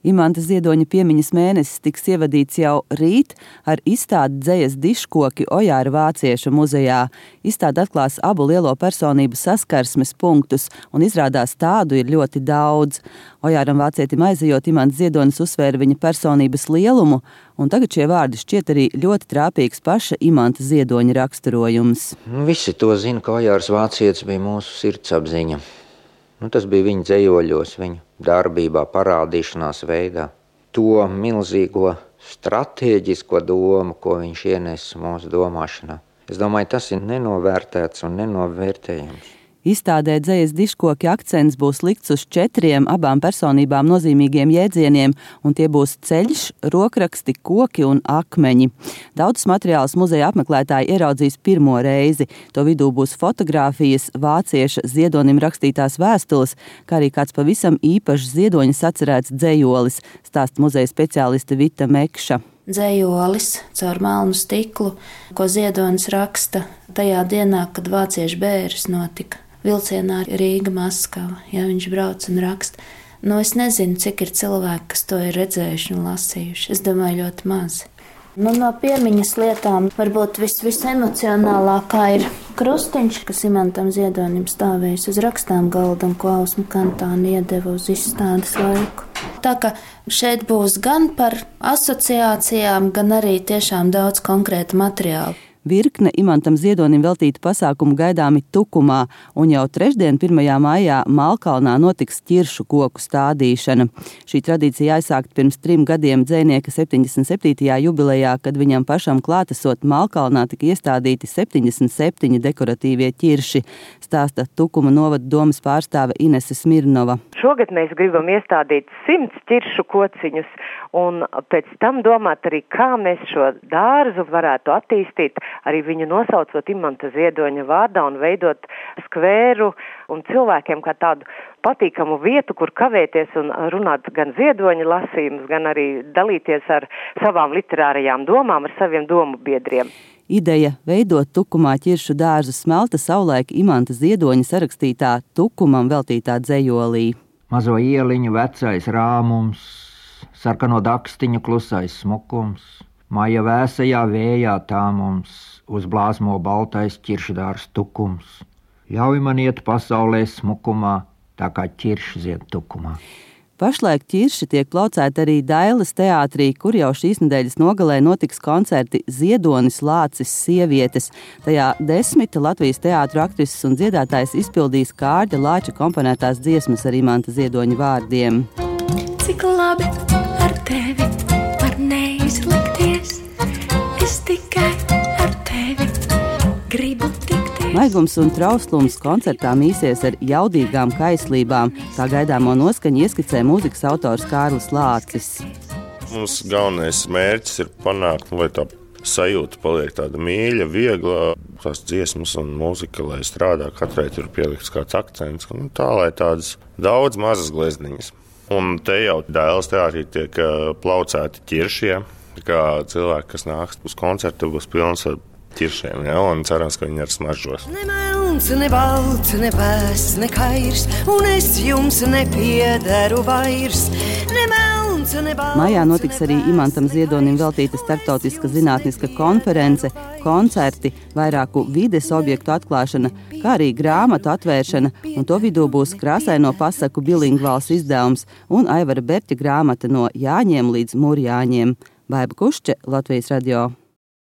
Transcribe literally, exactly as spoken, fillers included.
Imanta Ziedoņa piemiņas mēnesis tiks ievadīts jau rīt ar izstādi Dzejas diškoki Ojāra vācieša muzejā. Izstāde atklās abu lielo personību saskarsmes punktus, un izrādās tādu ir ļoti daudz. Ojāram vācietim aizejot, Imants Ziedonis uzsvēra viņa personības lielumu, un tagad šie vārdi šķiet arī ļoti trāpīgs paša Imanta Ziedoņa raksturojums. Visi to zina, ka Ojārs vācietis bija mūsu sirdsapziņa. Nu, tas bija viņa dzejoļos, viņa darbībā, parādīšanās veidā. To milzīgo stratēģisko domu, ko viņš ienesa mūsu domāšanā. Es domāju, tas ir nenovērtēts un nenovērtējams. Izstādē Dzejas diškoki akcents būs likts uz četriem abām personībām nozīmīgiem jēdzieniem, un tie būs ceļš, rokraksti, koki un akmeņi. Daudzus materiālus muzeja apmeklētāji ieraudzīs pirmo reizi. To vidū būs fotogrāfijas, vācieša Ziedonim rakstītās vēstules, kā arī kāds pavisam īpašs Ziedoņa sacerēts dzejolis, stāsta muzeja speciāliste Vita Mekša. Dzejolis caur melnu stiklu, ko Ziedonis raksta tajā dienā, kad vāciešu bēres notika. Vilcienā Rīga Maskava, ja viņš brauc un raksta. Nu, es nezinu, cik ir cilvēki, kas to ir redzējuši un lasījuši. Es domāju, ļoti maz. Nu, no piemiņas lietām varbūt vis, visemocionālākā ir krustiņš, kas Imantam Ziedonim stāvējis uz rakstām galda un ko Ausma Kantāne iedeva uz izstādes laiku. Tā ka šeit būs gan par asociācijām, gan arī tiešām daudz konkrēta materiāla. Virkne Imantam Ziedonim veltīta pasākumu gaidāmi Tukumā, un jau trešdien, pirmajā maijā, Malkalnā notiks ķiršu koku stādīšana. Šī tradīcija aizsākta pirms trim gadiem dzejnieka septiņdesmit septītajā jubilejā, kad viņam pašam klātesot Malkalnā tika iestādīti septiņdesmit septiņi dekoratīvie ķirši, stāsta Tukuma novada domas pārstāve Inese Smirnova. Šogad mēs gribam iestādīt simts ķiršu kociņus, un pēc tam domāt arī, kā mēs šo dārzu varētu attīstīt, arī viņu nosaucot Imanta Ziedoņa vārdā un veidot skvēru un cilvēkiem kā tādu patīkamu vietu, kur kavēties un runāt gan Ziedoņa lasījumus, gan arī dalīties ar savām literārajām domām, ar saviem domu biedriem. Ideja veidot Tukumā ķiršu dārzu smelta savulaik Imanta Ziedoņa sarakstītā Tukumam veltītā dzejolī. Mazo ieliņu vecais rāmums, sarkano dakstiņu klusais smukums, maija vēsajā vējā tā mums uzblāzmo baltais ķiršdārs tukums. Ļauj man iet pasaulē smukumā, tā kā ķirši zied tukumā. Pašlaik ķirši tiek plaucēti arī Dailes teātrī, kur jau šīs nedēļas nogalē notiks koncerti Ziedonis, Lācis, Sievietes. Tajā desmit Latvijas teātru aktrises un dziedātājs izpildīs Kārļa Lāča komponētās dziesmas ar Imanta Ziedoņa vārdiem. Cik labi ar tevi var neizlikties, es tikai ar tevi gribu tikties. Maigums un trauslums koncertā mīsies ar jaudīgām kaislībām. Tā gaidāmo noskaņu ieskicē mūzikas autors Kārlis Lācis. Mums galvenais mērķis ir panākt, lai tā sajūta paliek tāda mīļa, viegla, tās dziesmas un mūzika, lai strādā, katrai tur pielikts kāds akcents, un tā, lai tādas daudz mazas glezniņas. Un te jau Dailes teātrī tiek plaucēti ķiršie, kā cilvēki, kas nāks uz koncertu, būs pilns ar ķiršiem, ja, un cerams, ka viņi ar smaržos. Ne melns, ne balts, ne pēs, ne kairs, un es jums nepiederu vairs. Ne melns, ne balts, Maijā notiks arī Imantam Ziedonim veltīta starptautiska zinātniska konference, koncerti, vairāku vides objektu atklāšana, kā arī grāmatu atvēršana, un to vidū būs krāsaino pasaku bilingvāls izdevums un Aivara Berķa grāmata no Jāņiem līdz Murjāņiem. Baiba Kušče, Latvijas radio.